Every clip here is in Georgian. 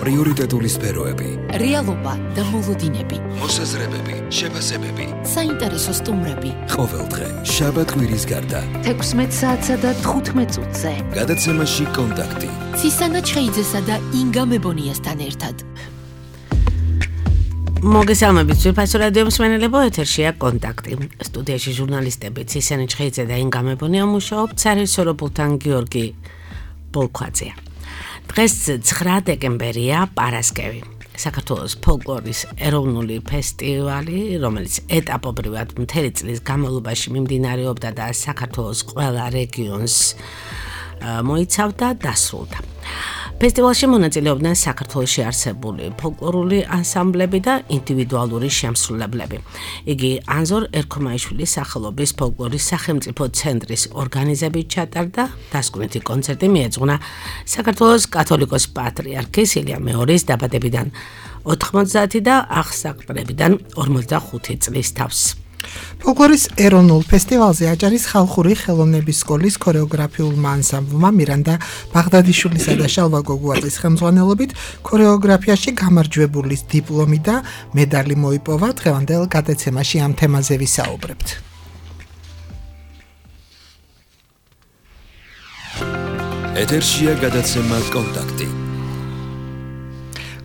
პრიორიტეტული სფეროები, რეალობა და მოლოდინები, მოსაზრებები, შეფასებები, საინტერესო სტუმრები. ყოველდღე, შაბათ-კვირის გარდა, 16 საათსა და 15 წუთზე. გადაცემაში კონტაქტი. ცისანა ჩხეიძესა და ინგა მებონიასთან ერთად. მოგესალმებით, ძვირფასო რადიო მსმენელებო, ეთერშია კონტაქტი. სტუდიაში ჟურნალისტები ცისანა ჩხეიძე და ინგა მებონია მუშაობთ სარესორობულთან გიორგი ბოლქვაძეა. დღეს 9 დეკემბერია, პარასკევი. საქართველოს ფოლკლორის ეროვნული ფესტივალი, რომელიც ეტაპობრივად მთელი წლის განმავლობაში მიმდინარეობდა და საქართველოს ყველა რეგიონს მოიცავდა, დასრულდა. ფესტივალში მონაწილეობდნენ საქართველოში არსებული ფოლკლორული ანსამბლები და ინდივიდუალური შემსრულებლები. იგი ანზორ ერქომაიშვილის სახელობის ფოლკლორის სახელმწიფო ცენტრის ორგანიზებით ჩატარდა. დასკვნითი კონცერტი მიეძღვნა საქართველოს კათოლიკოს პატრიარქის ილია მეორის დაბადებიდან 90 და აღსაყრებიდან 45 წლის თავს. ფოლკლორის ეროვნულ ფესტივალზე აჭარის ხალხური ხელოვნების სკოლის ქორეოგრაფიულმა ანსამბლმა მირანდა ბაღდადიშვილისა და შალვა გოგუაძის ხელმძღვანელობით ქორეოგრაფიაში გამარჯვებულის დიპლომი და მედალი მოიპოვა. დღევანდელ გადაცემაში ამ თემაზე ვისაუბრებთ. ეთერშია გადაცემა კონტაქტი.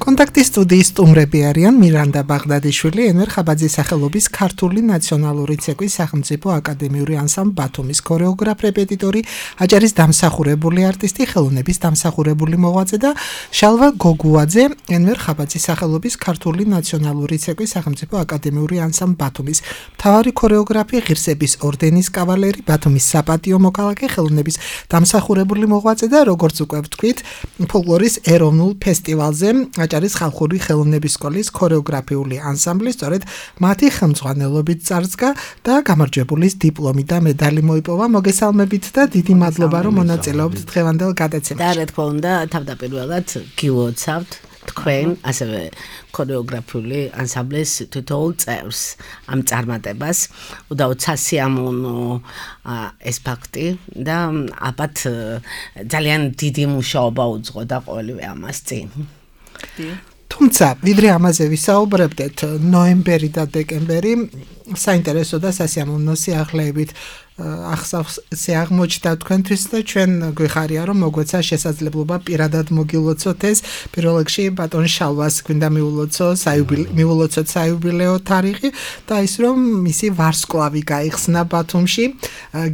კონტაქტის სტუდიის სტუმრები არიან მირანდა ბაღდადიშვილი, ენვერ ხაბაძის სახელობის ქართული ნაციონალური ცეკვის სახელმწიფო აკადემიური ანსამბლ ბათუმის ქორეოგრაფ რეპეტიტორი, აჭარის დამსახურებული არტისტი, ხელოვნების დამსახურებული მოღვაწე და შალვა გოგუაძე, ენვერ ხაბაძის სახელობის ქართული ნაციონალური ცეკვის სახელმწიფო აკადემიური ანსამბლ ბათუმის მთავარი ქორეოგრაფი, ღირსების ორდენის კავალერი, ბათუმის საპატიო მოქალაქე, ხელოვნების დამსახურებული მოღვაწე და როგორც უკვე ვთქვით, ფოლკლორის ეროვნულ ფესტივალზე აჭარის ხალხური ხელოვნების სკოლის ქორეოგრაფიული ანსამბლი სწორედ მათი ხელმძღვანელობით წარსდგა და გამარჯვებულის დიპლომი და მედალი მოიპოვა. მოგესალმებით და დიდი მადლობა რომ მონაწილეობთ დღევანდელ გადაცემაში. და რა თქმა უნდა, თავდაპირველად გილოცავთ თქვენ ასევე ქორეოგრაფიული ანსამბლის თითოეულ წევრს ამ წარმატებას. უდავოდ სასიამოვნო ეს ფაქტი და აბათ ძალიან დიდი მუშაობა უძღოდა ყოველივე ამას წინ. თუმცა, ვიდრე ამაზე ვისაუბრებდეთ, ნოემბერი და დეკემბერი საინტერესო და სასიამოვნო სიახლეებით აღსავსე თქვენთვის და ჩვენ გვიხარია რომ მოგვეცა შესაძლებლობა პირადად მოგილოცოთ ეს. პირველ რიგში ბატონ შალვას გვინდა მიულოცოთ საიუბილეო თარიღი და ის რომ მისი ვარსკვლავი გაიხსნა ბათუმში.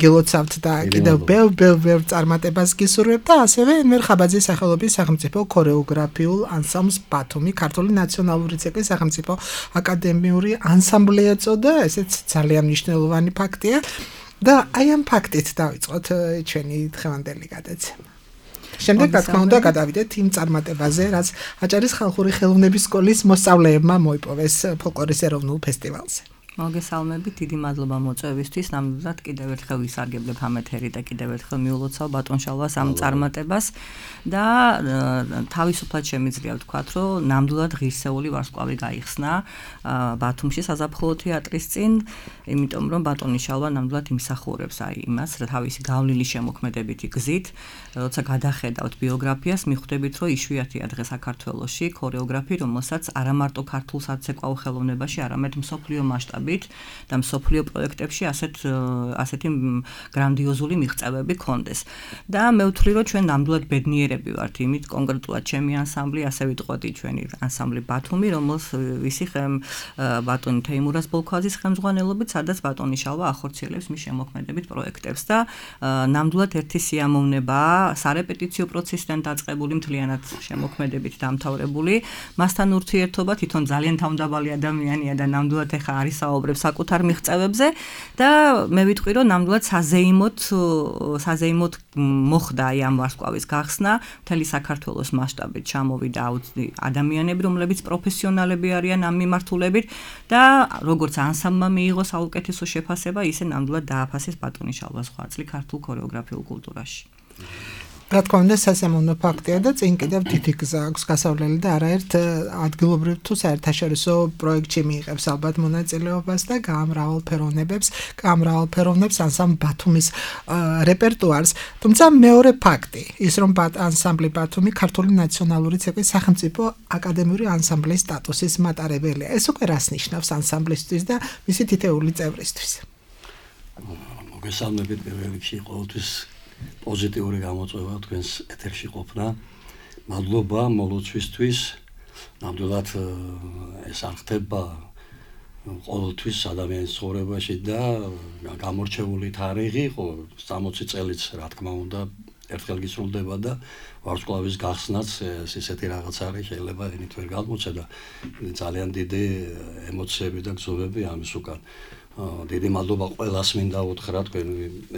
გილოცავთ და კიდევ ბევრ წარმატებას გისურვებთ და ასევე ენვერ ხაბაძის სახელობის სახელმწიფო ქორეოგრაფიულ ანსამბლს ბათუმი ქართული ნაციონალური ცეკვის სახელმწიფო აკადემიური ანსამბლი ეწოდა. ესეც ძალიან მნიშვნელოვანი ფაქტია. და აი ამ ფაქტით დავიწყოთ ჩვენი დღევანდელი გადაცემა. შემდეგ რა თქმა უნდა გადავიდეთ იმ წარმატებაზე, რაც აჭარის ხალხური ხელოვნების სკოლის მოსწავლეებმა მოიპოვეს ფოლკლორის ეროვნულ ფესტივალზე. მოგესალმებით, დიდი მადლობა მოწვევისთვის. ნამდვილად კიდევ ერთხელ ვისარგებლებ ამ ეთერი და კიდევ ერთხელ მიულოცავ ბატონ შალვას ამ წარმატებას და თავისუფლად შემიძლია ვთქვათ, რომ ნამდვილად ღირსეული ვარსკვლავი გაიხსნა ბათუმში საზაფხულო თეატრის წინ, იმიტომ რომ ბატონი შალვა ნამდვილად იმსახურებს იმას, რა თავისი გავლილი შემოქმედებითი გზით, როცა გადახედავთ ბიოგრაფიას, მიხვდებით, რომ იშვიათია დღეს საქართველოში ქორეოგრაფი, რომელსაც არა მარტო ქართულ საცეკვაო ხელოვნებაში, არამედ მსოფლიო მასშტაბით და მსოფლიო პროექტებში ასეთი გრანდიოზული მიღწევები ქონდეს. და მე ვთვლი, რომ ჩვენ ნამდვილად ბედნიერები ვართ იმით, კონკრეტულად ჩემი ანსამბლი, ასე ვიტყოდი ჩვენი ანსამბლი ბათუმი, ვისი ბატონი თეიმურაზ ბოლქვაძის ხელმძღვანელობით, სადაც ბატონი შალვა ახორციელებს მის შემოქმედებით პროექტებს და ნამდვილად ერთი სიამოვნებაა სარეპეტიციო პროცესიდან დაწყებული მთლიანად შემოქმედებით დამთავრებული. მასთან ურთიერთობა თვითონ ძალიან თავმდაბალი ადამიანია და ნამდვილად ეხა არის საკუთარ მიღწევებზე და მე ვიტყვი რომ ნამდვილად საზეიმოდ მოხდა ამ ვარსკვლავის გახსნა მთელი საქართველოს მასშტაბით ჩამოვიდა ადამიანები რომლებიც პროფესიონალები არიან ამ მიმართულებით და როგორც ანსამბლმა მიიღო საუკეთესო შეფასება ისე ნამდვილად დააფასეს ბატონი შალვას ხვაწლი ქართულ ქორეოგრაფიულ კულტურაში. რა თქმა უნდა სასიამოვნო ფაქტია და წინ კიდევ დიდი გზა აქვს გასავლელი და არაერთ ადგილობრივ თუ საერთაშორისო პროექტში მიიღებს ალბათ მონაწილეობას და გაამრავალფეროვნებს ანსამბლ ბათუმის რეპერტუარს. თუმცა მეორე ფაქტი ის რომ ანსამბლი ბათუმი ქართული ნაციონალური ცეკვის სახელმწიფო აკადემიური ანსამბლის სტატუსის მატარებელია. ეს უკვე რას ნიშნავს ანსამბლისთვის და მისი თითეული წევრისთვის? მოგესალმებით პირველ რიგში ყოველთვის პოზიტიური გამოწვევა თქვენს ეთერში ყოფნა. მადლობა მოლოცვისთვის. ნამდვილად ეს არ ხდება ყოველთვის ადამიანის ცხოვრებაში და გამორჩეული თარიღი 60 წელიც რა თქმა უნდა ერთხელ გისრულდება და ვარსკვლავის გახსნაც ესეთი რაღაც არის შეიძლება ენით ვერ გადმოცე და ძალიან დიდი ემოციები და გზობები ამის უკან. დიდი მადლობა ყველას მინდა უთხრა თქვენ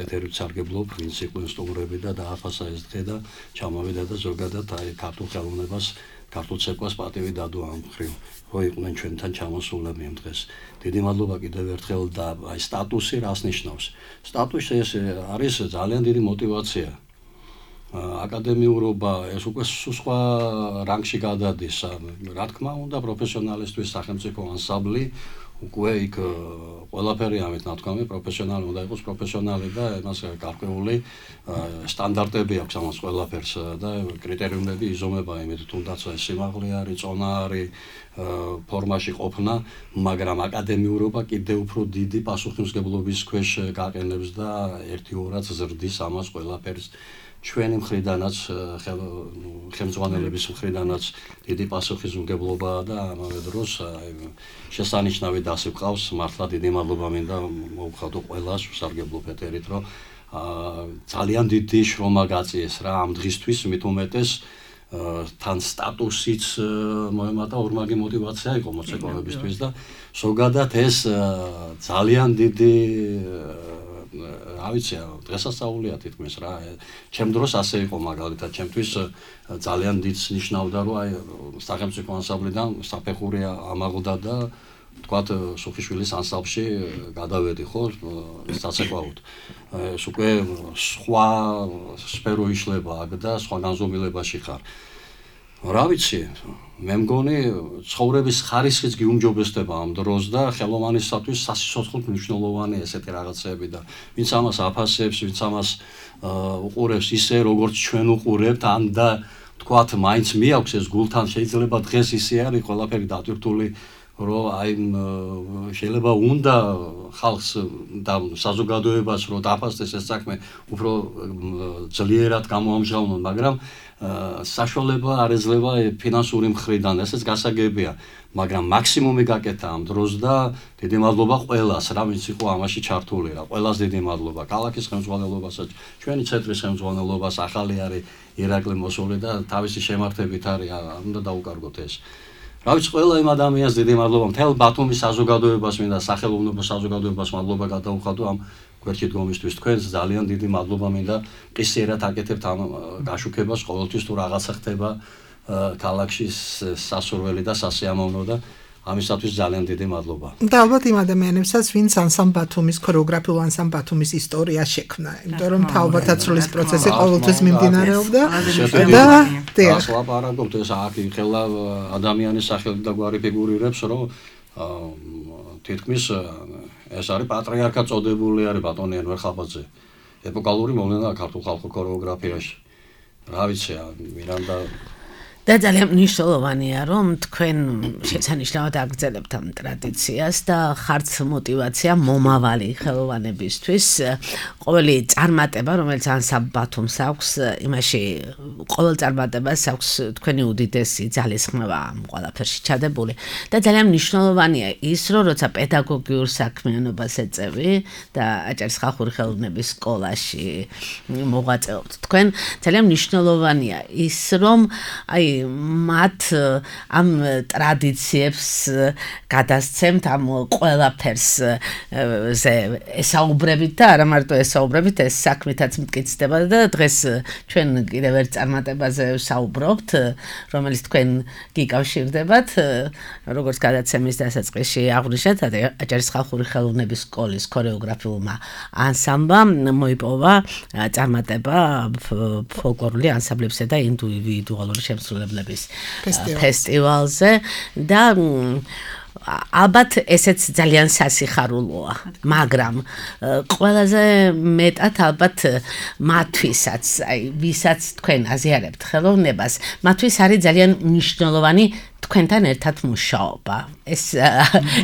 ეთერით სარგებლობ პრინციპულ სტუმრები და დააფასა ეს დღე და ჩამოვიდა და ზოგადად აი ქართულ ხელოვნებას ქართულ ცეკვას პატივი დადო ამ ხრივ რო იყვნენ ჩვენთან ჩამოსულები ამ დღეს. დიდი მადლობა კიდევ ერთხელ და აი სტატუსი რას ნიშნავს? სტატუსი ეს არის ძალიან დიდი мотиваცია. აკადემიურობა ეს უკვე სხვა რანგში გადადის. რა თქმა უნდა პროფესიონალისტვის სახელმწიფო ანსამბლი უკვე იქ ყველაფერი ამით ნათქვამი პროფესიონალი უნდა იყოს პროფესიონალი და მას გარკვეული სტანდარტები აქვს ამას ყველაფერს და კრიტერიუმები იზომება იმით თუნდაც სიმაღლე არის, წონა არის, ფორმაში ყოფნა, მაგრამ აკადემიურობა კიდევ უფრო დიდი პასუხისმგებლობის ქვეშ გაყენებს და ერთიურად ზრდის ამას ყველაფერს. ჩვენი მხრიდანაც ხელმძღვანელების მხრიდანაც დიდი პასუხისმგებლობაა და ამავე დროს შესანიშნავი დასი გვყავს. მართლა დიდი მადლობა მინდა მოვხადო ყველას ვსარგებლობ ეთერით, რომ ძალიან დიდი შრომა გაწიეს რა ამ დღისთვის, მით უმეტეს თან სტატუსიც მოემატა ორმაგი мотиваცია იყო მოცეკვავებისთვის და ზოგადად ეს ძალიან დიდი ავიცი დღესასწაულია თითქმის რა. ჩემ დროს ასე იყო მაგალითად ჩემთვის ძალიან დიდს ნიშნავდა რომ აი სახელმწიფო ანსამბლიდან საფეხური ამაღლდა და თქვათ სოფიშვილის ანსამბლში გადავედი ხო საცეკვაოდ. ეს უკვე სხვა სფერო იშლება აქ და სხვა განზომილებაში ხარ. რა ვიცი, მე მგონი ცხოვრების ხარისხიც გიუმჯობესდება ამ დროს და ხელოვანისათვის სასიცოცხლოდ მნიშვნელოვანი ესეთი რაღაცები და ვინც ამას აფასებს, ვინც ამას უყურებს ისე როგორც ჩვენ უყურებთ, ან და თქვათ მაინც მიაქვს ეს გულთან შეიძლება დღეს ისე არის ყველაფერი დატვირთული რომ აი შეიძლება უნდა ხალხს და საზოგადოებას რომ დაფასდეს ეს საქმე უფრო ძლიერად გამოამჟღავნონ, მაგრამ საშუალება არ ეძლევა ფინანსური მხრიდან, ესეც გასაგებია, მაგრამ მაქსიმუმი გაკეთა ამ დროს და დიდი მადლობა ყველას, რა ვინც იყო ამაში ჩართული რა, ყველას დიდი მადლობა, ქალაქის ხელმძღვანელობასაც, ჩვენი ცენტრის ხელმძღვანელობას, ახალი არის ირაკლი მოსული და თავისი შემართებით არის, უნდა დაუკარგოთ ეს. რა ვიცი, ყველა იმ ადამიანს დიდი მადლობა, მთელ ბათუმის საზოგადოებას მინდა, სახელოვნებო საზოგადოებას მადლობა გადაუხადო ამ გვერდში დგომისთვის. თქვენს ძალიან დიდი მადლობა მინდა, ყისიერად აკეთებთ ამ გაშუქებას, ყოველთვის თუ რაღაცა ხდება ქალაქში სასურველი და სასიამოვნო და ამისათვის ძალიან დიდი მადლობა. და ალბათ იმ ადამიანებსაც, ვინც ანსამბლ ბათუმის ქორეოგრაფიულ ანსამბლ ბათუმის ისტორია შექმნა, იმიტომ რომ თავბათაცვლის პროცესი ყოველთვის მიმდინარეობდა და ეს ლაპარაკობთ ეს აქ ხელა ადამიანის სახელით და გვარი ფიგურირებს, რომ თითქმის ეს არის პატრიარქად წოდებული არის ბატონი ენვარ ხაბაძე. ეპოკალური მოვლენაა ქართულ ხალხურ ქორეოგრაფიაში. რა ვიცი, მირანდა და ძალიან მნიშვნელოვანია რომ თქვენ შესანიშნავად აგრძელებთ ამ ტრადიციას და ხართ мотиваცია მომავალი ხელოვანებისთვის. ყოველი წარმატება, რომელიც ანსამბლ ბათუმს აქვს, იმაში ყოველ წარმატებას აქვს თქვენი უდიდესი ძალისხმევა ამ ყველაფერში ჩადებული და ძალიან მნიშვნელოვანია ის, რომ როცა პედაგოგიურ საქმიანობას ეწევი და აჭარის ხალხური ხელოვნების სკოლაში მოღვაწეობთ თქვენ, ძალიან მნიშვნელოვანია ის, რომ აი მათ ამ ტრადიციებს გადასცემთ ამ ყველაფერს ესაუბრებით და არა მარტო ესაუბრებით, ეს საქმითაც მტკიცდება და დღეს ჩვენ კიდევ ერთ წარმატებაზე ვსაუბრობთ, რომელიც თქვენ გიკავშირდებათ, როგორც გადაცემის დასაწყისში აღვნიშნეთ, აჭარის ხალხური ხელოვნების სკოლის ქორეოგრაფიულმა ანსამბლამ მოიპოვა წარმატება ფოლკლორული ანსამბლებისა და ინდივიდუალური შემსრულებლების ფესტივალზე და ალბათ ესეც ძალიან სასიხარულოა, მაგრამ ყველაზე მეტად ალბათ მათვისაც, ვისაც თქვენ აზიარებთ ხელოვნებას, მათთვის არის ძალიან მნიშვნელოვანი თქვენთან ერთად მუშაობა. ეს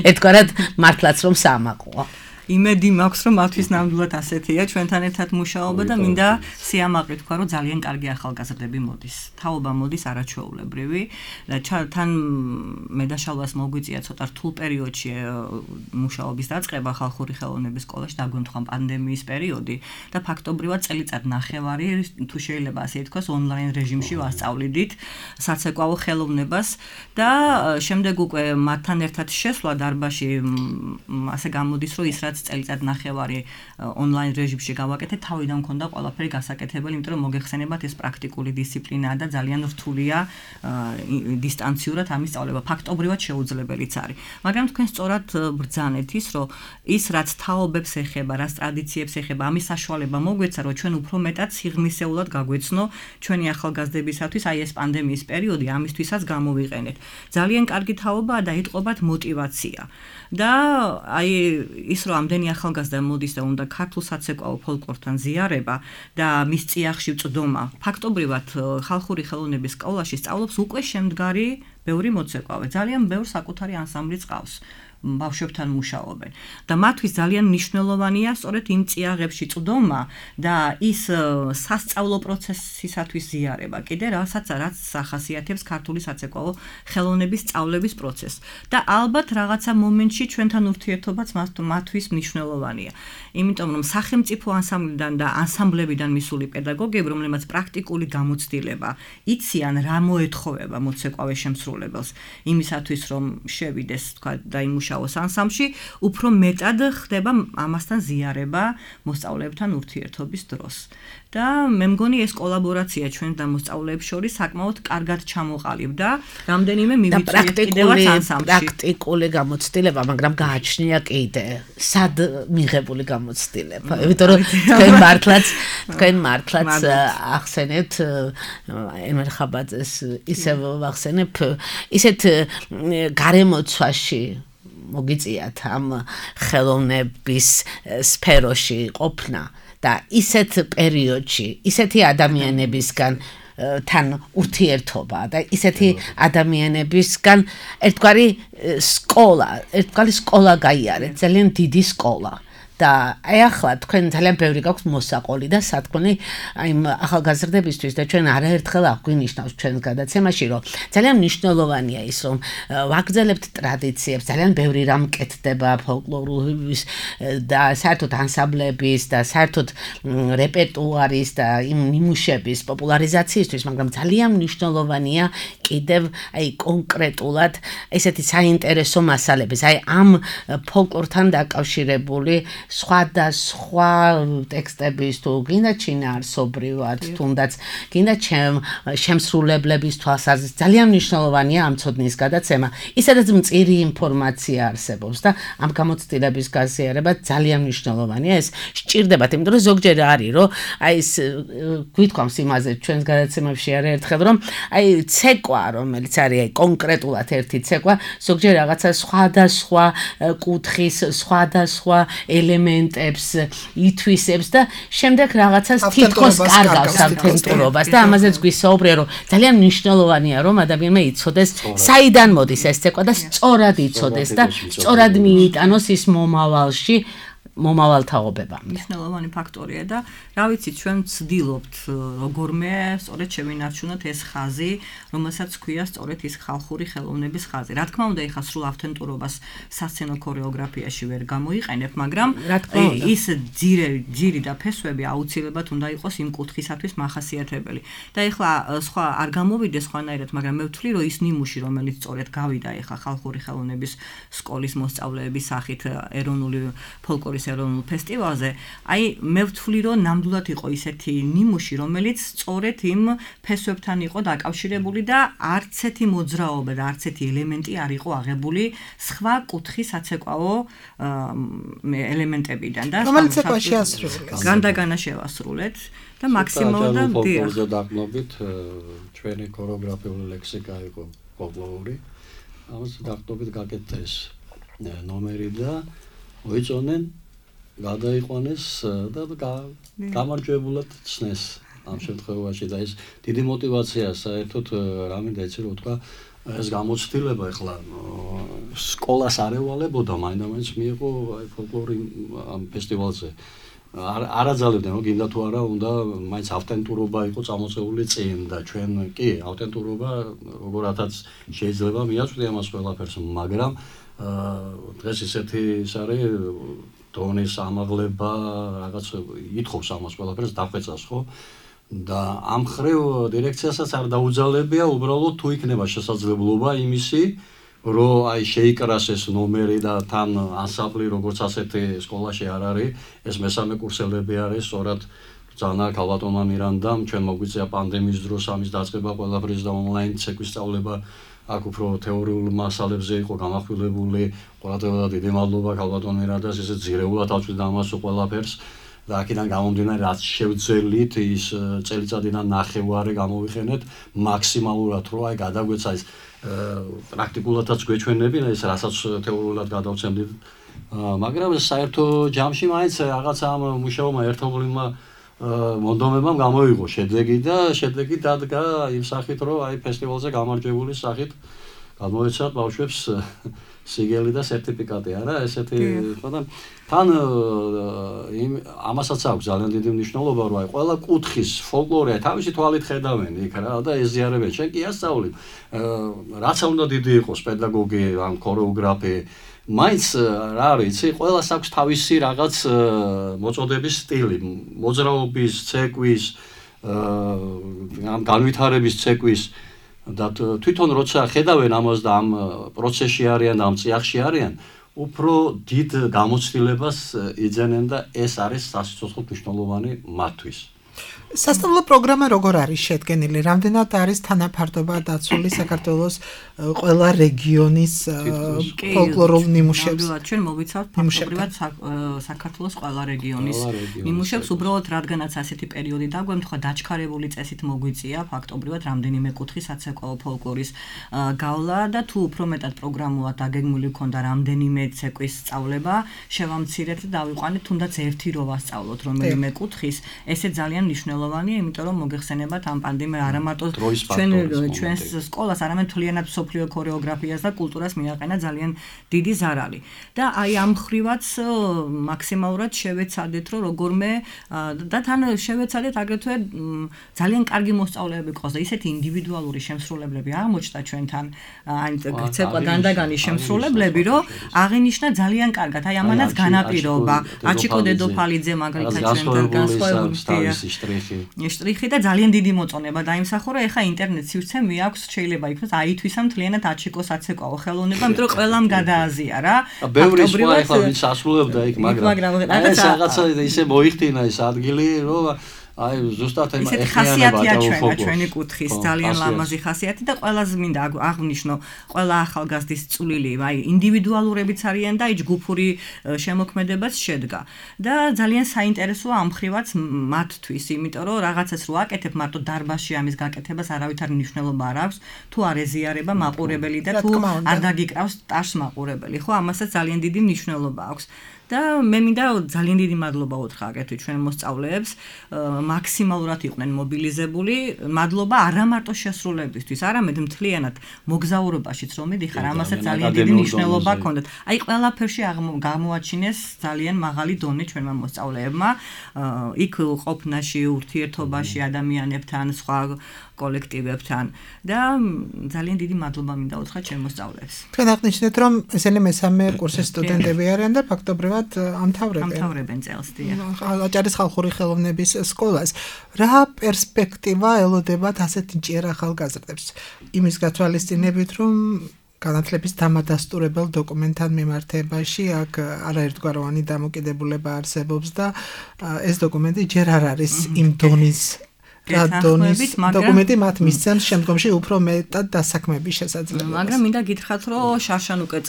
ერთგვარად მართლაც რომ საამაყოა. იმედი მაქვს რომ მათთვის ნამდვილად ასეთია ჩვენთან ერთად მუშაობა და მინდა სიამაყე თქვა რომ ძალიან კარგი ახალგაზრდები მოდის. თაობა მოდის არაჩვეულებრივი და თან მე და შალვას მოგვიწია ცოტა რთულ პერიოდში მუშაობის დაწყება ხალხური ხელოვნების სკოლაში დაგვემთხვა პანდემიის პერიოდი და ფაქტობრივად წელიწად ნახევარი თუ შეიძლება ასე ითქვას ონლაინ რეჟიმში ვასწავლიდით საცეკვაო ხელოვნებას და შემდეგ უკვე მათთან ერთად შესვლა დარბაზში ასე გამოდის რომ ის წელიწად ნახევარი ონლაინ რეჟიმში გავაკეთე, თავიდან მქონდა ყველაფერი გასაკეთებელი, იმიტომ რომ მოგეხსენებათ ეს პრაქტიკული დისციპლინაა და ძალიან რთულია დისტანციურად ამის სწავლება. ფაქტობრივად შეუძლებელიც არის. მაგრამ თქვენ სწორად ბრძანეთ ის, რომ ის რაც თაობებს ეხება, რაც ტრადიციებს ეხება, ამის საშუალება მოგვეცა, რომ ჩვენ უფრო მეტად სიღრმისეულად გაგვეცნო ჩვენი ახალგაზრდებისათვის აი ეს პანდემიის პერიოდი ამისთვისაც გამოვიყენეთ. ძალიან კარგი თაობაა და იტყობათ მოტივაცია. და აი ის რომ ამდენი ახალგაზრდა მოდის და უნდა ქართულ საცეკვაო ფოლკლორთან ზიარება და მის წიაღში წვდომა. ფაქტობრივად ხალხური ხელოვნების სკოლაში სწავლობს უკვე შემდგარი ბევრი მოცეკვავე. ძალიან ბევრ საკუთარი ანსამბლიც ყავს. ბავშვებთან მუშაობენ და მათთვის ძალიან მნიშვნელოვანია სწორედ იმ წიაღებში წვდომა და ის სასწავლო პროცესისათვის ზიარება კიდე რაც ახასიათებს ქართული საცეკვაო ხელოვნების სწავლების პროცესს და ალბათ რაღაცა მომენტში ჩვენთან ურთიერთობაც მათთვის მნიშვნელოვანია იმიტომ რომ სახელმწიფო ანსამბლიდან და ანსამბლებიდან მისული პედაგოგები რომლებმაც პრაქტიკული გამოცდილება იციან რა მოეთხოვება მოცეკვავე შემსრულებელს იმისათვის რომ შევიდეს თქვა და იმუშაოს ანსამბლში უფრო მეტად ხდება ამასთან ზიარება მოსწავლეებთან ურთიერთობის დროს და მე მგონი ეს კოლაბორაცია ჩვენ და მოსწავლეებს შორის საკმაოდ კარგად ჩამოყალიბდა რამდენიმე მივიწვიეთ კიდევაც ანსამბლში პრაქტიკული გამოცდილება მაგრამ გააჩნია კიდე სად მიღებული გამოცდილება იმიტომ რომ თქვენ მართლაც ახსენეთ ემერ ხაბაძეს ისევ ვახსენებ ისეთ გარემოცვაში მოგიწიათ ამ ხელოვნების სფეროში ყოფნა და ისეთ პერიოდში ისეთი ადამიანებისგან თან ურთიერთობა და ისეთი ადამიანებისგან ერთგვარი სკოლა გაიარეთ ძალიან დიდი სკოლა და აი ახლა თქვენ ძალიან ბევრი გაქვს მოსაყოლი და სათქმელი აი ახალგაზრდებისთვის და ჩვენ არაერთხელ აღვნიშნავს ჩვენ გადაცემაში რომ ძალიან მნიშვნელოვანია ის რომ ვაგრძელებთ ტრადიციებს ძალიან ბევრი რამ კეთდება ფოლკლორის და საერთოდ ანსამბლების და საერთოდ რეპერტუარის და იმ ნიმუშების პოპულარიზაციისთვის მაგრამ ძალიან მნიშვნელოვანია კიდევ აი კონკრეტულად ესეთი საინტერესო მასალების აი ამ ფოლკლორთან დაკავშირებული სხვადასხვა ტექსტების თუ გინდა ჩინაარსობრივად თუნდაც გინდა შემსრულებლების თვალსაზრისით ძალიან მნიშვნელოვანია ამ ცოდნის გადაცემა ისედაც მწირი ინფორმაცია არსებობს და ამ გამოცდილების გაზიარება ძალიან მნიშვნელოვანია ეს სჭირდებათ იმიტომ რომ ზოგჯერ არის რომ აი ეს გვითქვამს იმაზე ჩვენს გადაცემებში არაერთხელ რომ აი ცეკვა რომელიც არის აი კონკრეტულად ერთი ცეკვა ზოგჯერ რაღაცა სხვადასხვა კუთხის სხვადასხვა ელემენტებს ითვისებს და შემდეგ რაღაცას თითქოს კარგავს ამ თემპურობას და ამაზეც გვისაუბრე რომ ძალიან მნიშვნელოვანია რომ ადამიანმა იცოდეს საიდან მოდის ეს ცეკვა და სწორად იცოდეს და სწორად მიიტანოს ის მომავალში მომავალთაობებამდე. მნიშვნელოვანი ფაქტორია და რა ვიცი, ჩვენ ვცდილობთ როგორმე სწორედ შევინარჩუნოთ ეს ხაზი, რომელსაც ქვია სწორედ ის ხალხური ხელოვნების ხაზი. რა თქმა უნდა, ეხლა სრულ ავთენტურობას სასცენო ქორეოგრაფიაში ვერ გამოიყენებ, მაგრამ ის ძირი და ფესვები აუცილებლად უნდა იყოს იმ კუთხისათვის მახასიათებელი. და ეხლა სხვა არ გამოვიდეს სხვანაირად, მაგრამ მე ვთვლი, რომ ის ნიმუში, რომელიც სწორედ გავიდა ეხლა ხალხური ხელოვნების სკოლის მოსწავლეების სახით ეროვნული ფოლკლორის ეროვნულ ფესტივალზე, აი მე ვთვლი, რომ ნამდვილად იყო ისეთი ნიმუში, რომელიც სწორედ იმ ფესვებთან იყო დაკავშირებული და არც ერთი მოძრაობა და არც ერთი ელემენტი არ იყო აღებული სხვა კუთხის საცეკვაო ელემენტებიდან და რომელიც ეკვა შეასრულეს. განდაგანა შევასრულეთ და მაქსიმალურად ფოლკლორზე დაყნობით ჩვენი ქორეოგრაფიული ლექსიკა იყო ფოლკლორი. ამას დაყნობით გაკეთეს ნომერი და მოიწონენ, გადაიყვანეს და გამარჯვებულად ცნეს ამ შემთხვევაში და ეს დიდი мотиваცია საერთოდ რა მინდა იცი რომ თქვა ეს გამოცდილება ეხლა სკოლას არ ევალებოდა, მაინდა-მაინც მიიღო აი ფოლკლორი ამ ფესტივალზე. არ აძალებდნენ, რომ გინდა თუ არა, უნდა მაინც ავთენტურობა იყო წამოწეული წინ და ჩვენ კი ავთენტურობა როგორათაც შეიძლება მიაწვდია ამას ყველაფერს, მაგრამ დღეს ისეთი ის არის დონის ამაღლება, რაღაც ითხოვს ამას ყველაფერს დახვეწას, ხო? და ამ ხრივ დირექციასაც არ დაუძალებია, უბრალოდ თუ იქნება შესაძლებლობა იმისი, რომ აი შეიკრას ეს ნომერი და თან ანსამბლი როგორც ასეთი სკოლაში არ არის, ეს მესამე კურსელები არის, სწორად ძალიან ქალბატონმა მირანდამ ჩვენ მოგვიწია პანდემიის დროს ამის დაწყება ყველაფრის და ონლაინ ცეკვის სწავლება აქ უფრო თეორიულ მასალებზე იყო გამახვილებული, ყველადღე დიდი მადლობა ქალბატონ მირანდას, ესე ძირეულად ავწვიდა ამას ყველაფერს და აქედან გამომდინარე რაც შევძელით ის წელიწადიდან ნახევარი გამოვიხენეთ მაქსიმალურად რომ აი გადაგვეცა ის პრაქტიკულადაც გვეჩვენებინა ეს რასაც თეორიულად გადავცემდით, მაგრამ საერთო ჯამში მაინც რაღაცა ამ მუშაობმა ერთობლივმა მონდომებამ გამოიღო შედეგი და შედეგი დადგა იმ სახით რომ აი ფესტივალზე გამარჯვებული სახით გამოეცათ ბავშვებს სიგელი და სერტიფიკატი, არა ესეთი ხო და თან ამასაც აქვს ძალიან დიდი მნიშვნელობა რომ აი ყველა კუთხის ფოლკლორია თავისი თვალით ხედავენ იქ რა და ეზიარებენ, შენ კი ასწავლი რაც უნდა დიდი იყოს პედაგოგი ან ქორეოგრაფი, მაინც რა არის იცი, ყველას აქვს თავისი რაღაც მოწოდების სტილი, მოძრაობის, ცეკვის, ამ განვითარების ცეკვის და თვითონ როცა ხედავენ ამას და ამ პროცესში არიან და ამ წიაღში არიან, უფრო დიდ გამოცდილებას იძენენ და ეს არის სასიცოცხლოდ მნიშვნელოვანი მათთვის. სასწავლო პროგრამა როგორ არის შედგენილი? რამდენად არის თანაფარდობა დაცული საქართველოს ყველა რეგიონის ფოლკლორულ ნიმუშებს? ჩვენ მოვიცავთ ფაქტობრივად საქართველოს ყველა რეგიონის ნიმუშებს, უბრალოდ რადგანაც ასეთი პერიოდი დაგვემთხვა, დაჩქარებული წესით მოგვიწია ფაქტობრივად რამდენიმე კუთხის საცეკვაო ფოლკლორის გავლა და თუ უფრო მეტად პროგრამულად დაგეგმილი ქონდა რამდენიმე ცეკვის სწავლება, შევამცირეთ და დავიყვანეთ თუნდაც ერთი რო ვასწავლოთ რომელიმე კუთხის, ესე ძალიან მნიშვნელოვანია, იმიტომ რომ მოგეხსენებათ ამ პანდემია არა მარტო ჩვენს სკოლას, არამედ მთლიანად მსოფლიო ქორეოგრაფიას და კულტურას მიაყენა ძალიან დიდი ზარალი. და აი ამ ხრივაც მაქსიმალურად შევეცადეთ, რომ როგორმე და თან შევეცადეთ აგრეთვე ძალიან კარგი მოსწავლეები ყავს და ისეთი ინდივიდუალური შემსრულებლები აღმოჩნდა ჩვენთან, აი ცეკვა განდაგანის შემსრულებლები, რომ აღინიშნა ძალიან კარგად. აი ამანაც განაპირობა. აჩიკო დედოფალიძე მაგალითად ჩვენთან განსხვავებული შტრიხი და ძალიან დიდი მოწონება დაიმსახურა, ეხა ინტერნეტ სივრცე მიაქვს, შეიძლება იქნას აითვისა მთლიანად აჩიკო საცეკვაო ხელოვნება, იმიტომ რომ ყველამ გადააზია რა. ბევრი სხვა ეხლა ვინც ასრულებდა იქ, მაგრამ ეს რაღაცა ისე მოიხდინა ეს ადგილი, რომ აი ზუსტად ესეთი ხასიათია ჩვენი კუთხის, ძალიან ლამაზი ხასიათი და ყველაზე მინდა აღნიშნო, ყველა ახალგაზრდის წვლილი, აი ინდივიდუალურებიც არიან და ჯგუფური შემოქმედებაც შედგა. და ძალიან საინტერესოა ამ ხრივაც მათთვის, იმიტომ რომ რაღაცას რო აკეთებ, მარტო დარბაზში ამის გაკეთებას არავითარ მნიშვნელობა არ აქვს, თუ არ ეზიარება მაყურებელი და თუ არ დაგიკრავს ტაშს მაყურებელი, ხო, ამასაც ძალიან დიდი მნიშვნელობა აქვს. და მე მინდა ძალიან დიდი მადლობა უთხრა აგრეთვე ჩვენ მოსწავლეებს, მაქსიმალურად იყვნენ მობილიზებული, მადლობა არა მარტო შესრულებისთვის, არამედ მთლიანად მოგზაურობაშიც რომ მიდიხარ, ამასაც ძალიან დიდი მნიშვნელობა ჰქონდათ. აი ყველაფერში გამოაჩინეს ძალიან მაღალი დონე ჩვენმა მოსწავლეებმა, იქ ყოფნაში, ურთიერთობაში ადამიანებთან, სხვა კოლექტივებთან და ძალიან დიდი მადლობა მინდა უთხრა ჩვენ მოსწავლეებს. თქვენ აღნიშნეთ რომ ესენი მესამე კურსის სტუდენტები არიან და ფაქტობრივად ამთავრებენ წელს დიახ. აჭარის ხალხური ხელოვნების სკოლას. რა პერსპექტივა ელოდებათ ასეთ ჭიერ ახალგაზრდებს? იმის გათვალისწინებით რომ განათლების დამადასტურებელ დოკუმენტთან მიმართებაში აქ არაერთგვაროვანი დამოკიდებულება არსებობს და ეს დოკუმენტი ჯერ არ არის იმ დონის დოკუმენტი მათ მისცემს შემდგომში უფრო მეტად დასაქმების შესაძლებლობას. მაგრამ მინდა გითხრათ, რომ შარშან უკვე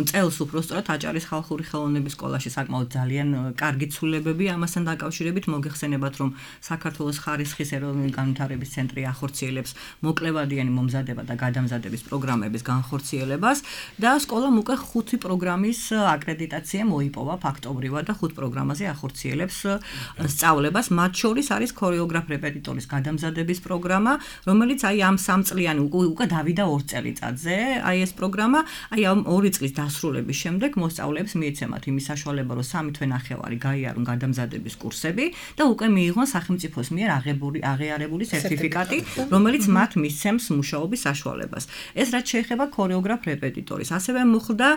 წელს უფრო სწორად აჭარის ხალხური ხელოვნების სკოლაში საკმაოდ ძალიან კარგი ცვლილებები ამასთან დაკავშირებით მოგეხსენებათ, რომ საქართველოს ხარისხის ეროვნული განვითარების ცენტრი ახორციელებს მოკლევადიანი მომზადება და გადამზადების პროგრამების განხორციელებას და სკოლამ უკვე 5 პროგრამის აკრედიტაცია მოიპოვა ფაქტობრივად და 5 პროგრამაზე ახორციელებს სწავლებას, მათ შორის არის ქორეოგრაფ რეპეტიტორის გადამზადების პროგრამა, რომელიც აი ამ 3 წლიანი უკვე დავიდა 2 წელიწადზე, აი ეს პროგრამა, აი ამ 2 წლის დასრულების შემდეგ მოსწავლეებს მიეცემათ იმის საშუალება, რომ 3 თვე-ნახევარი გაიარონ გადამზადების კურსები და უკვე მიიღონ სახელმწიფოს მიერ აღიარებული სერტიფიკატი, რომელიც მათ მისცემს მუშაობის საშუალებას. ეს რაც შეეხება ქორეოგრაფ რეპეტიტორის, ასევე მოხდა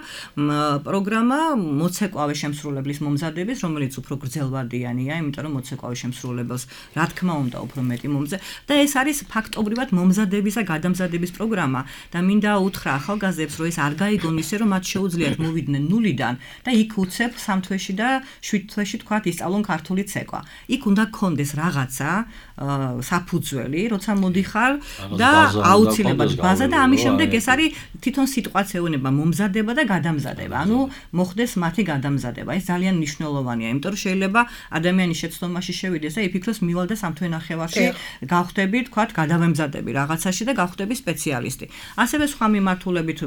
პროგრამა მოცეკვავე შემსრულებლის მომზადების, რომელიც უფრო გრძელვადიანია, იმიტომ რომ მოცეკვავე შემსრულებელს რა თქმა უნდა უფრო მეტი მომზე და ეს არის ფაქტობრივად მომზადების და გადამზადების პროგრამა და მინდა უთხრა ახალგაზრდებს, რომ ეს არ გაიგონ ისე, რომ მათ შეუძლიათ მოვიდნენ ნულიდან და იქ უცებ 3 თვეში და 7 თვეში თქვათ ისწავლონ ქართული ცეკვა. იქ უნდა გქონდეს რაღაცა საფუძველი, როცა მოდიხარ და აუცილებლად ბაზა და ამის შემდეგ ეს არის თვითონ სიტყვაც ეუბნება მომზადება და გადამზადება. ანუ მოხდეს მათი გადამზადება. ეს ძალიან მნიშვნელოვანია, იმიტომ რომ შეიძლება ადამიანის შეცდომაში შევიდეს და იფიქროს მივალ და 3 თვე-ნახევარში გავხდები, თქვათ, გადავემზადები რაღაცაში და გავხდები სპეციალისტი. ასევე სხვა მიმართულებით,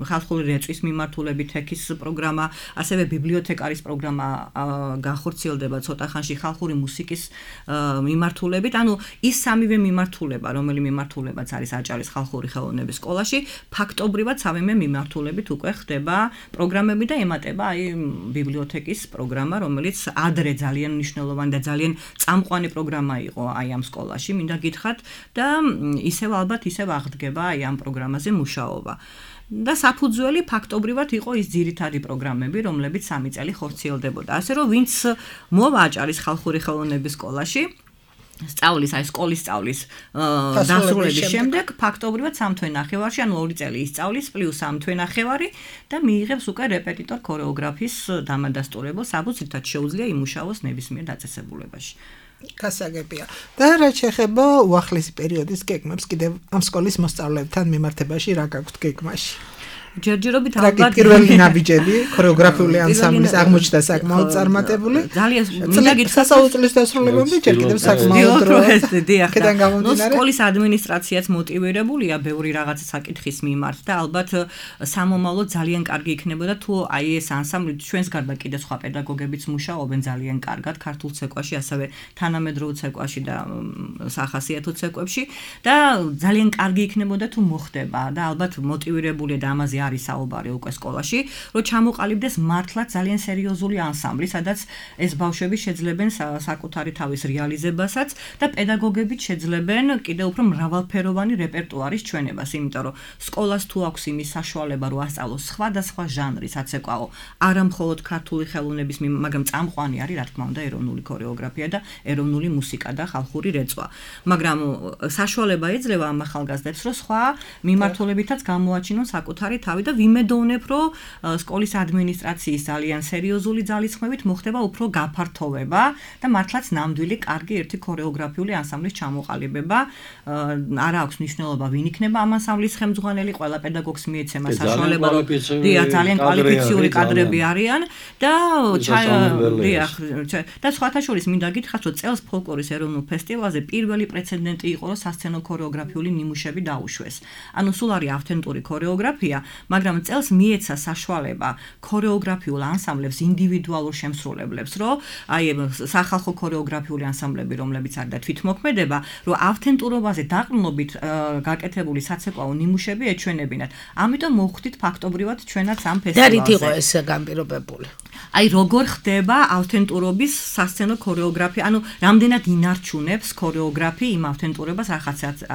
ხალხური რეწვის მიმართულებით ეკის პროგრამა, ასევე ბიბლიოთეკარის პროგრამა განხორციელდება ცოტა ხანში ხალხური მუსიკის მიმართულებით. ანუ ის სამივე მიმართულება, რომელი მიმართულებაც არის აჭარის ხალხური ხელოვნების სკოლაში, ფაქტობრივად სამივე მიმართულებით უკვე ხდება პროგრამები და ემატება აი ბიბლიოთეკის პროგრამა, რომელიც ადრე ძალიან მნიშვნელოვანი და ძალიან წამყვანი პროგრამა იყო აი ამ სკოლაში, მინდა გითხრათ და ისევ ალბათ ისევ აღდგება აი ამ პროგრამაზე მუშაობა. და საფუძველი ფაქტობრივად იყო ის ძირითადი პროგრამები, რომლებიც 3 წელი ხორციელდებოდა. ასე რომ ვინც მოვა აჭარის ხალხური ხელოვნების სკოლაში სწავლის, აი სკოლის სწავლის დასრულების შემდეგ ფაქტობრივად 3 თვე-ნახევარში, ანუ 2 წელი ისწავლის პლუს 3 თვე-ნახევარი და მიიღებს უკვე რეპეტიტორ ქორეოგრაფის დამადასტურებელს, საბუთრითაც შეუძლია იმუშაოს ნებისმიერ დაწესებულებაში. გასაგებია. და რაც შეეხება უახლესი პერიოდის გეგმებს, კიდევ ამ სკოლის მოსწავლეებთან მიმართებაში რა გაქვთ გეგმაში? ჯერჯერობით ალბათ პირველი ნაბიჯები ქორეოგრაფიული ანსამბლის აღმოჩნდა საკმაოდ წარმატებული. ძალიან მინდა გითხრათ სასწავლებლის დასრულებამდე ჯერ კიდევ საკმაოდ დრო. დიახ. ნუ სკოლის ადმინისტრაციაც მოტივირებულია ბევრი რაღაცა საკითხის მიმართ და ალბათ სამომავლოდ ძალიან კარგი იქნებოდა თუ აი ეს ანსამბლი ჩვენს გარდა კიდე სხვა პედაგოგებიც მუშაობენ ძალიან კარგად ქართულ ცეკვაში, ასევე თანამედროვე ცეკვაში და სახასიათო ცეკვებში და ძალიან კარგი იქნებოდა თუ მოხდება და ალბათ მოტივირებულია და ამაზე არის საუბარი უკვე სკოლაში, რომ ჩამოყალიბდეს მართლაც ძალიან სერიოზული ანსამბლი, სადაც ეს ბავშვები შეძლებენ საკუთარი თავის რეალიზებასაც და პედაგოგებიც შეძლებენ კიდევ უფრო მრავალფეროვანი რეპერტუარის ჩვენებას, იმიტომ რომ სკოლას თუ აქვს იმის საშუალება, რომ ასწავლოს სხვადასხვა ჟანრის აცეკვაო, არა მხოლოდ ქართული ხელოვნების, მაგრამ წამყვანი არის, რა თქმა უნდა, ეროვნული ქორეოგრაფია და ეროვნული მუსიკა და ხალხური რეწვა. მაგრამ საშუალება ეძლევა ამ ახალგაზრდებს, რომ სხვა მიმართულებითაც გამოაჩინონ საკუთარი თავი და ვიმედოვნებ, რომ სკოლის ადმინისტრაციის ძალიან სერიოზული ძალისხმევით მოხდება უფრო გაფართოვება და მართლაც ნამდვილი კარგი ერთი ქორეოგრაფიული ანსამბლის ჩამოყალიბება. არა აქვს მნიშვნელობა ვინ იქნება ამ ანსამბლის ხელმძღვანელი, ყველა პედაგოგს მიეცემა საშუალება, ძალიან კვალიფიციური კადრები არიან და და სხვათა შორის მინდა გითხრათ, რომ წელს ფოლკლორის ეროვნულ ფესტივალზე პირველი პრეცედენტი იყო, რომ სასცენო ქორეოგრაფიული ნიმუშები დაუშვეს. ანუ სულ არის ავთენტური ქორეოგრაფია მაგრამ წელს მიეცა საშუალება ქორეოგრაფიულ ანსამბლებს ინდივიდუალურ შემსრულებლებს, რომ აი სახალხო ქორეოგრაფიული ანსამბლები, რომლებიც არის და თვითმოქმედება, რომ ავთენტურობაზე დაყრდნობით გაკეთებული საცეკვაო ნიმუშები ეჩვენებინათ. ამიტომ მოვხვდით ფაქტობრივად ჩვენაც ამ ფესტივალზე. და რით იყო ეს განპირობებული? აი როგორ ხდება ავთენტურობის სასცენო ქორეოგრაფია, ანუ რამდენად ინარჩუნებს ქორეოგრაფი იმ ავთენტურობას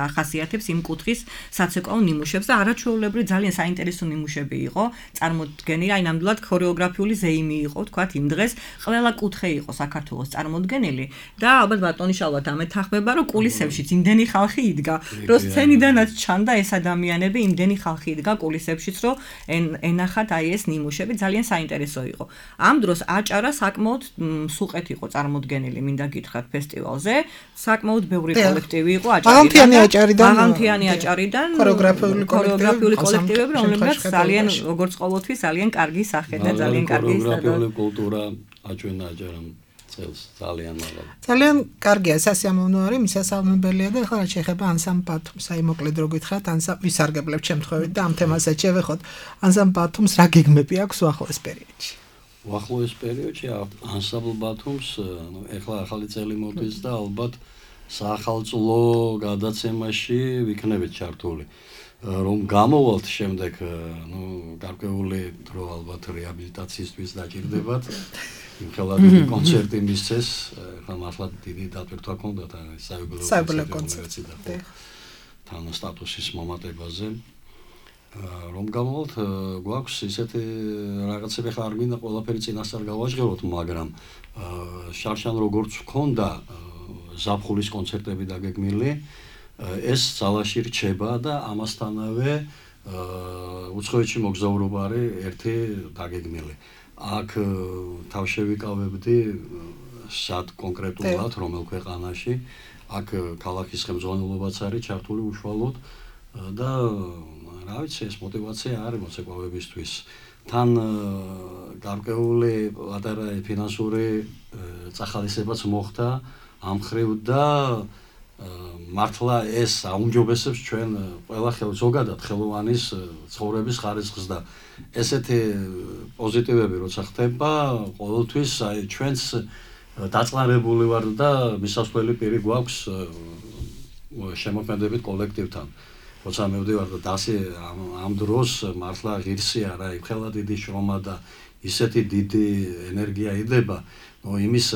ახასიათებს იმ კუთხის საცეკვაო ნიმუშებს და არაჩვეულებრივ ძალიან საინტერესო ნიმუშები იყო წარმოდგენილი, აი ნამდვილად ქორეოგრაფიული ზეიმი იყო, თქვათ იმ დღეს ყველა კუთხე იყო საქართველოს წარმოდგენილი და ალბათ ბატონი შალვა დამეთანხმება, რომ კულისებშიც იმდენი ხალხი იდგა, რომ სცენიდანაც ჩანდა ეს ადამიანები, იმდენი ხალხი იდგა კულისებშიც, რომ ენახათ აი ეს ნიმუშები ძალიან საინტერესო იყო. ამ დროს აჭარა საკმაოდ სუყეთ იყო წარმოდგენილი, მინდა გითხრათ ფესტივალზე. საკმაოდ ბევრი კოლექტივი იყო აღანთიანი აჭარიდან ქორეოგრაფიული კოლექტივები, რომლებიც ძალიან როგორც ყოველთვის ძალიან კარგი სახე და ძალიან კარგი ქორეოგრაფიული კულტურა აჩვენა აჭარამ წელს ძალიან მაღალი. ძალიან კარგია, სასიამოვნო არის, მისასალმებელია და ახლა რა შეეხება ანსამბლ ბათუმს, აი მოკლედ რო გითხრათ, ანსამბლ ვისარგებლებ შემთხვევით და ამ თემასაც შევეხოთ. ანსამბლ ბათუმს რა გეგმები აქვს უახლოეს პერიოდში? უახლოეს პერიოდში ანსამბლ ბათუმს, ეხლა ახალი წელი მოდის და ალბათ საახალწლო გადაცემაში ვიქნებით ჩართული. რომ გამოვალთ შემდეგ, გარკვეული დრო ალბათ რეაბილიტაციისთვის დაჭირდებათ. იმხელა დიდი კონცერტი მისცეს, ხა მართლა დიდი დატვირთვა ჰქონდათ საიუბილეო კონცერტი და თან სტატუსის მომატებაზე. რომ გამოვალთ, გვაქვს ისეთი რაღაცები, ხა არ მინდა ყველაფერი წინასწარ გავაჟღეროთ, მაგრამ შარშან როგორც ჰქონდა ზაფხულის კონცერტები დაგეგმილი, ეს ძალაში რჩება და ამასთანავე უცხოეთში მოგზაურობა არის ერთი დაგეგმილი. აქ თავშევიკავებდი სად კონკრეტულად რომელ ქვეყანაში, აქ ქალაქის ხელმძღვანელობაც არის ჩართული უშუალოდ და რა ვიცი, ეს мотиваცია არის მოცეკვავებისთვის. თან გარკვეული პატარა ფინანსური წახალისებაც მოხდა ამ ხრივ და მართლა ეს აუმჯობესებს ჩვენ ყველა ზოგადად ხელოვანის ცხოვრების ხარისხს და ესეთი პოზიტივები როცა ხდება, ყოველთვის აი ჩვენს დაწყნარებული ვარ და მისასვლელი პირი გვაქვს შემოქმედებით კოლექტივთან. როცა მივდივარ და დასი ამ დროს მართლა ღირსია რა, იმხელა დიდი შრომა და ისეთი დიდი ენერგია იდება, იმის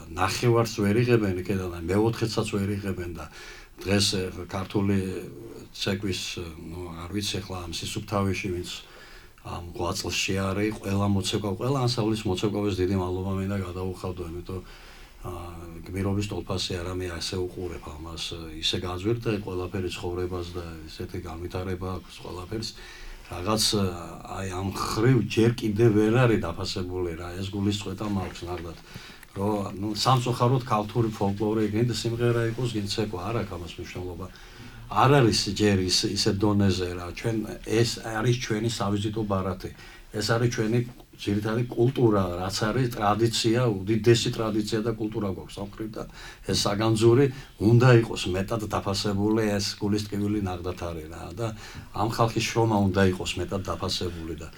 ნახევარს ვერ იღებენ იქიდან და მეოთხეცაც ვერ იღებენ და დღეს ქართული ცეკვის, არ ვიცი ახლა ამ სისუფთავეში ვინც ამ ღვაწლში არის, ყველა მოცეკვავ, ყველა ანსამბლის მოცეკვავის დიდი მადლობა მინდა გადაუხავდო, იმიტომ გმირობის ტოლფასი არა, მე ასე უყურებ ამას, ისე გაძვირდა ყველაფერი ცხოვრებას და ისეთი განვითარება აქვს ყველაფერს. რაღაც აი ამ ხრივ ჯერ კიდევ ვერ არის დაფასებული რა, ეს გულისწყეთა მაქვს ნახდათ. რომ სამწუხაროდ ქართული ფოლკლორი გინდა სიმღერა იყოს, გინდა ცეკვა, არ აქვს ამას მნიშვნელობა. არ არის ჯერ ისე დონეზე რა, ჩვენ ეს არის ჩვენი სავიზიტო ბარათი. ეს არის ჩვენი ძირითადი კულტურა, რაც არის ტრადიცია, უდიდესი ტრადიცია და კულტურა გვაქვს სამხრეთ და ეს საგანძური უნდა იყოს მეტად დაფასებული, ეს გულისწყეველი ნახდათ არის რა და ამ ხალხის შრომა უნდა იყოს მეტად დაფასებული და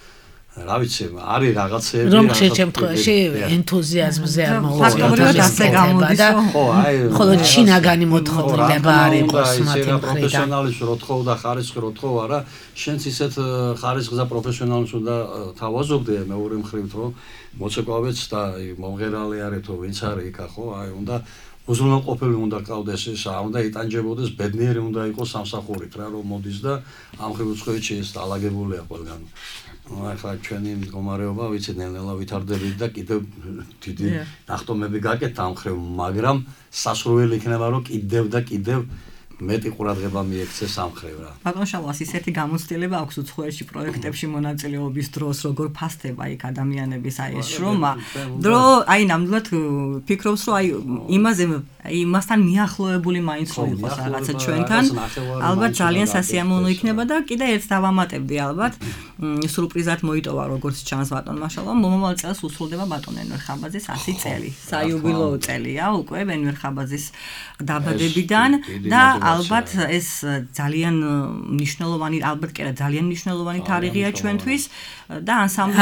რა ვიცი, არის რაღაცები რომ შემთხვევაში ენთუზიაზმზე არ ფაქტობრივად ასე გამოდის, ხო, აი ხოლო ჩინაგანი მოთხოვნილება არ იყოს მათი მხრიდან. პროფესიონალის რო თხოვ და ხარისხი რო თხოვ, არა, შენც ისეთ ხარისხს და პროფესიონალს უნდა თავაზობდე მეორე მხრივთ, რომ მოცეკვავეც და მომღერალი არის თუ ვინც არის იქა, ხო, აი უნდა უზრუნველყოფილი უნდა ყავდეს ეს, უნდა იტანჯებოდეს, ბედნიერი უნდა იყოს სამსახურით რა, რომ მოდის და ამ ხრივ უცხოეთში ეს დალაგებულია ყველგან. ახლა ჩვენი მდგომარეობა ვიცი ნელ-ნელა ვითარდებით და კიდევ დიდი ნახტომები გაკეთდა ამ ხრივ, მაგრამ სასურველი იქნება რომ კიდევ და კიდევ მეტი ყურადღება მიექცეს ამ ხრივ რა. ბატონ შალვას ისეთი გამოცდილება აქვს უცხოეთში პროექტებში მონაწილეობის დროს, როგორ ფასდება იქ ადამიანების აი ეს შრომა, დრო აი ნამდვილად ფიქრობს რომ აი იმაზე იმასთან მიახლოებული მაინც რო იყოს რაღაცა ჩვენთან, ალბათ ძალიან სასიამოვნო იქნება და კიდე ერთს დავამატებდი ალბათ, სურპრიზად მოიტოვა როგორც ჩანს ბატონმა შალვამ მომავალ წელს უსრულდება ბატონ ენვერ ხაბაძის 100 წელი საიუბილეო წელია უკვე ენვერ ხაბაძის დაბადებიდან და ალბათ ეს ძალიან მნიშვნელოვანი ალბათ კი არა ძალიან მნიშვნელოვანი თარიღია ჩვენთვის და ანსამბლი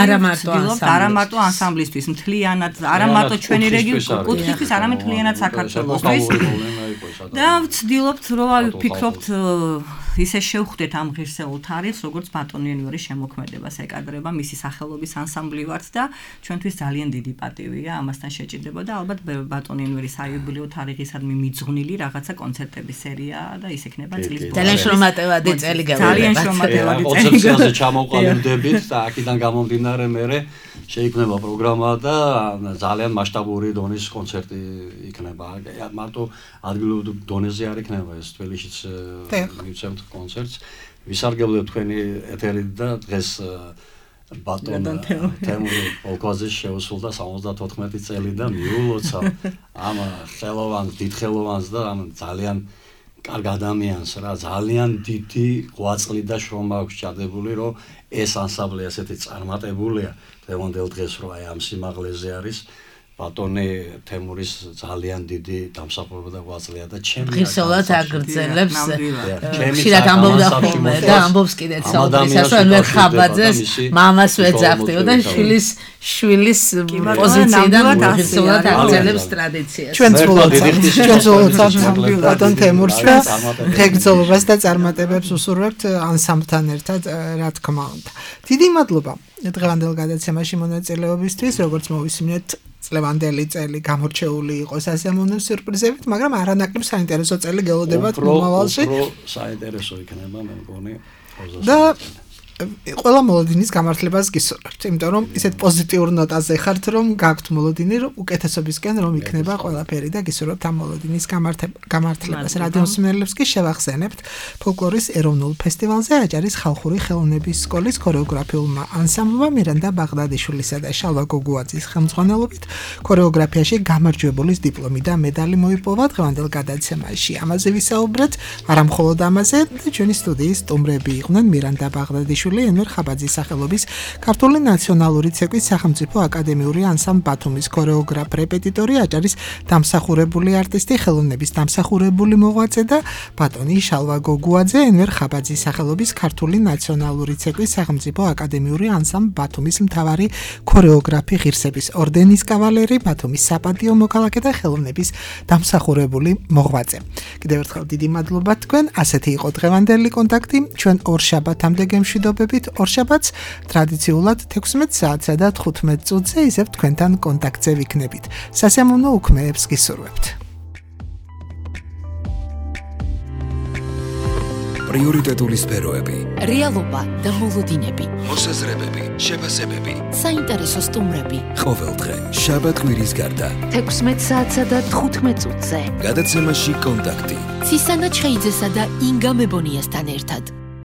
არა მარტო ანსამბლისთვის მთლიანად არა მარტო ჩვენი რეგიონის კუთხისთვის არამედ მთლიანად საქართველოსთვის და ვცდილობთ რომ ვფიქრობთ ისე შევხვდეთ ამ ღირსეულ თარიღს როგორც ბატონი ენვერის შემოქმედებას ეკადრება მისი სახელობის ანსამბლი ვართ და ჩვენთვის ძალიან დიდი პატივია ამასთან შეჭიდება და ალბათ ბატონი ენვერის საიუბილეო თარიღისადმი მიძღვნილი რაღაცა კონცერტების სერია და ის იქნება წლის ბოლოს ძალიან შრომატევადი წელი გავიდება ძალიან შრომატევადი წელი კონცერტზე ჩამოყალიბდებით და აქედან გამომდინარე მე შეიქმნება პროგრამა და ძალიან მასშტაბური დონის კონცერტი იქნება მარტო ადგილობრივ დონეზე არ იქნება ეს თბილისშიც მივცემთ კონცერტს ვისარგებლებ თქვენი ეთერით და დღეს ბატონ თემური პოლკოზის შეუსრულდა 74 წელი და მიულოცა ამ ხელოვანს დიდხელოვანს და ამ ძალიან კარგ ადამიანს რა ძალიან დიდი ღვაწლი და შრომა აქვს ჩადებული რომ ეს ანსამბლი ასეთი წარმატებულია დღევანდელ დღეს რომ აი ამ სიმაღლეზე არის ბატონი თემურის ძალიან დიდი დამსახურება და ღვაწლია და ჩემი ღირსეულად აგრძელებს ხშირად ამბობდა ხოლმე და ამბობს კიდეც საუბრისას რომ ენვერ ხაბაძეს მამას ვეძახდიო და შვილის პოზიციიდან ღირსეულად აგრძელებს ტრადიციას ჩვენ ვცდილობთ ბატონ თემურს და ღირსეულობას და წარმატებებს უსურვებთ ანსამბლთან ერთად რა თქმა უნდა დიდი მადლობა დღევანდელ გადაცემაში მონაწილეობისთვის როგორც მოვისმინეთ წლევანდელი წელი გამორჩეული იყოს ასემონო სიურპრიზებით, მაგრამ არანაკლებ საინტერესო წელი გელოდებათ მომავალში. საინტერესო იქნება მე მგონი. და ყველა მოლოდინის გამართლებას გისურვებთ, იმიტომ რომ ისეთ პოზიტიურ ნოტაზე ხართ, რომ გაქვთ მოლოდინი, რომ უკეთესობისკენ რომ იქნება ყველაფერი და გისურვებთ ამ მოლოდინის გამართლებას. რადიო მსმენელებს კი შევახსენებთ ფოლკლორის ეროვნულ ფესტივალზე აჭარის ხალხური ხელოვნების სკოლის ქორეოგრაფიულმა ანსამბლმა მირანდა ბაღდადიშვილისა და შალვა გოგუაძის ხელმძღვანელობით ქორეოგრაფიაში გამარჯვებულის დიპლომი და მედალი მოიპოვა დღევანდელ გადაცემაში. ამაზე ვისაუბრეთ, არა მხოლოდ ამაზე, და ჩვენი სტუდიის სტუმრები იყვნენ მირანდა ბაღდადიშვილი ენვერ ხაბაძის სახელობის ქართული ნაციონალური ცეკვის სახელმწიფო აკადემიური ანსამბლ ბათუმის ქორეოგრაფ რეპეტიტორი აჭარის დამსახურებული არტისტი ხელოვნების დამსახურებული მოღვაწე და ბატონი შალვა გოგუაძე ენვერ ხაბაძის სახელობის ქართული ნაციონალური ცეკვის სახელმწიფო აკადემიური ანსამბლ ბათუმის მთავარი ქორეოგრაფი ღირსების ორდენის კავალერი ბათუმის საპატიო მოქალაქე და ხელოვნების დამსახურებული მოღვაწე. კიდევ ერთხელ დიდი მადლობა თქვენ. ასეთი იყო დღევანდელი კონტაქტი. ჩვენ ორ შაბათამდე გემშვიდობებით. ორ შაბათს ტრადიციულად 16 საათსა და 15 წუთზე ისევ თქვენთან კონტაქტზე ვიქნებით. სასიამოვნო უქმეებს გისურვებთ. პრიორიტეტული სფეროები, რეალობა და მოლოდინები, მოსაზრებები, შეფასებები, საინტერესო სტუმრები. ყოველდღე შაბათ-კვირის გარდა 16 საათსა და 15 წუთზე. გადაცემაში კონტაქტი. ცისანა ჩხეიძესა და ინგა მებონიასთან ერთად.